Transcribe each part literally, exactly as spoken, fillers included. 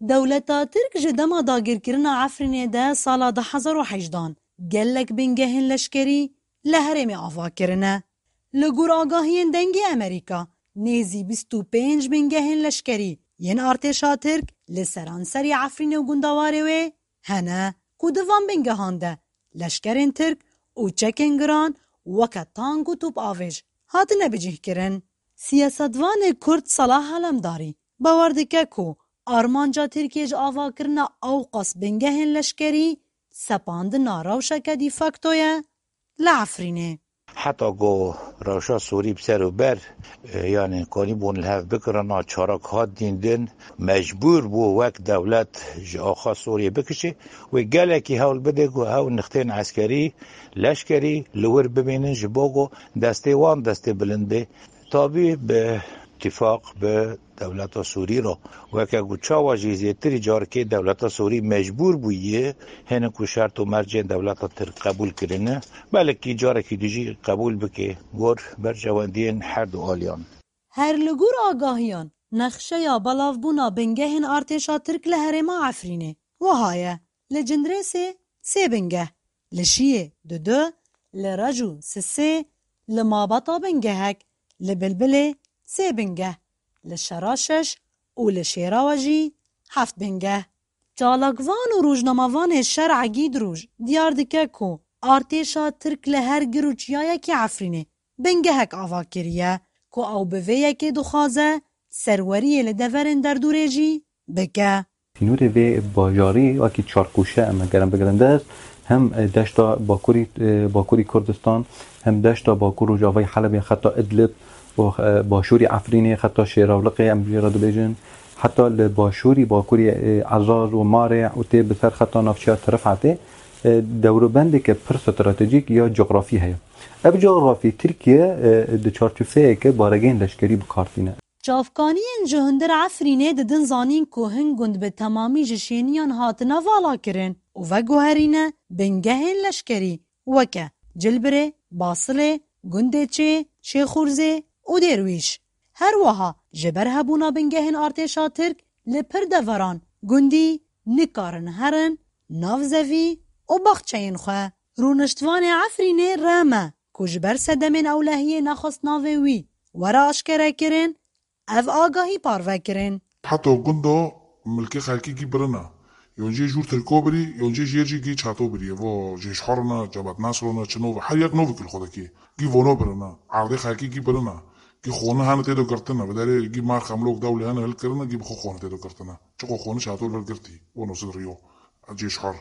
Dewleta Tirk ji dema dagirkirina Efrînê de sala du hezar û hejdan gelek bingehên leşkerî li herêmê ava kirine. Li gor agahiyên Dengê Amerîka, nêzî bîst û pênc bingehên leşkerî yên artêşa Tirk li seranserî Efrînê û gundewarê wê hene ku di van bingehan de leşkerên Tirk û çekên giran weke tank û topavêj hatine bicihkirin. Siyasetvanê Kurd Salah Alemdarî bawer dike ku armanca Tirkiyê ji avakirina ewqas bingehên leşkerî sepandina rewşeke de facto ye li Efrînê. Heta ku rewşa Sûrî bi ser û ber, e, yanî kanîbûn li hev bikirina, çarak hat dîndin, mecbûr bû wek dewlet ji axa Sûriyê bikişê, wê gelekî hewl bide ku ew nixtên eskerî, leşkerî li wir bimînin, ji bo ku destê wan destê bilind bê. Tabî bi îtîfaq bi dewleta Sûrî re, weke ku çawa jî zêtirî carkê dewleta Sûrî mecbûr bûye hinek û şert û mercên dewleta Tirk qebûl kirine, belkî carekî dî jî qebûl bike gor berjewendiyên her du aliyan. Her li gor agahiyan, nexşeya belavbûna bingehên artêşa Tirk li herêma Efrînê wiha ye: li Cindirêsê sê bingeh, li Şiyê du du, li Reco sisê, li Mabeta bingehek, li Bilbilê sê bingeh, li Şera şeş û li Şêrawe jî heft bingeh. Çalakvan û rojnamevanê Şer'e Gîdroj diyar dike ku artêşa Tirk li her gir û çiyayekî Efrînê bingehek ava kiriye ku ew bi vê yekê dixwaze serweriyê li deverên derdûrê jî bike. Sînorê vê bajarî wekî çarkoşe em eger em bigirin dest, hem, e, deşta bakurî, e, bakurî Kurdistan, hem deşta bakur rojavayî Helebê, xeta Idlib û, e, başûrî Efrînê, xeta Şêrawliqê em jê re dibêjin, heta li başûrî bakurî, e, Ezaz û Marê û tê bi ser xeta navçeya Tirifetê, e, dewrobendeke pir stratejîk ya cografî heye. Ev cografî Tirkiye, e, di çarçoveyeke baregehên leşkerî bi kar tîne. Çavkaniyên ji hundir Efrînê didin zanîn ku hin gund bi temamî ji şêniyan hatine valakirin û veguherîne bingehên leşkerî weke Cilbirê, Basilê, Gundê Çê, Şêxûrzê û Dêrwîş. Her wiha ji ber hebûna bingehên artêşa Tirk li pir deveran gundî nikarin herin nav zevî û baxçeyên xwe. Rûniştvanê Efrînê Reme ku ji ber sedemên ewlehiyê nexwest navê wî were aşkerekirin, ev agahî parve kirin. Heta gunda milkê xelkî gî birina. Yon jê jûr Tirko birî, yon jê jêr jî gî çato birî. Evo jêş horina, cebat nasrona, çi nov, her yek novikî li xwe dikê. Gî vono birina. Erdê xelkî gî birina. Gî xoni hene tê de girtina. Bi derê gî mar xemlok dewlê hene hilkirina, gî bi xwe xoni tê de girtina. Çiqo xoni çato li girtî. Vono sid riyo. Cêş hor.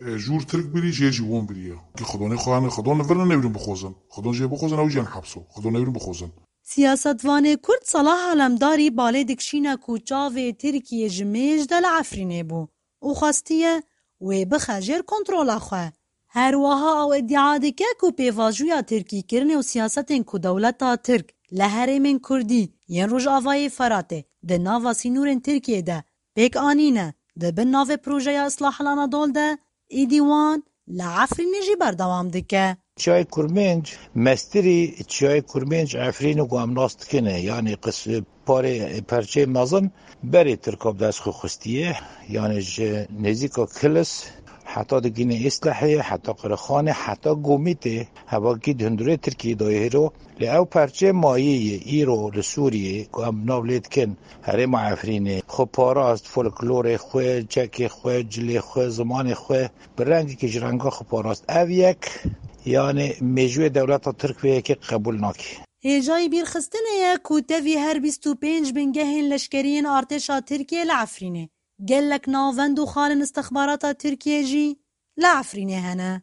E, jûr Tirk birî, jêr jî won birî ye. Gî xidonê xwe hene, xidon li vir ne newrin bixwazin. Xidon jê bixwazin, ew jî yên hepso. Xidon newrin bixwazin. Siyasetvanê Kurd Salah Alemdarî balê dikişîne ku çavê Tirkiyê ji mêj de li Efrînê bû û xwestiye wê bixe jêr kontrola xwe. Her wiha ew îdia dike ku pêvajoya tirkîkirinê û siyasetên ku dewleta Tirk li herêmên Kurdî yên Rojavayê Feratê di nava sînorên Tirkiyê de pêk anîne, di bin navê projeya Islahil Anadol de, îdî wan li Efrînê jî berdewam dike. Çiyayê Kurmênc, mestirî çiyayê Kurmênc Efrînê ku em nas dikine, yanî qis-, parê, perçeyê mezin berê Tirka bi dest xwe xistiye, yanî ji nêzîka Kilis heta digîne Îslehê, heta Qirixanê, heta Gomîtê, hevakî di hundirê Tirkiyê de hêro. Lê ew perçê mayî ye îro li Sûriyê ku em nav lê dikin, herêma Efrînê, xwe parast, folklorê xwe, çekê xwe, cilê xwe, zimanê xwe, bi rengekî ji renga xwe parast. Ev yek, yanî mêjûyê dewleta Tirk vê yekê qebûl nake. Hêjayî bîrxistinê ye ku tevî her bîst û pênc bingehên leşkerî yên artêşa Tirkiyê li Efrînê, gelek navend û xalên istixbarata Tirkiyê jî li Efrînê hene.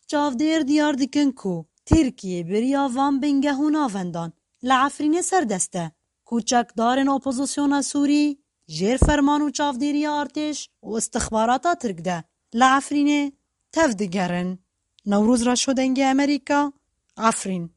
Çavdêr diyar dikin ku Tirkiye beriya van bingeh û navendan li Efrînê serdest e, ku çekdarên opozisyona Sûrî jêr ferman û çavdêriya artêş û istixbarata Tirk de li Efrînê tev digerin. Newroz Reşo, Dengê Amerîka, Efrîn.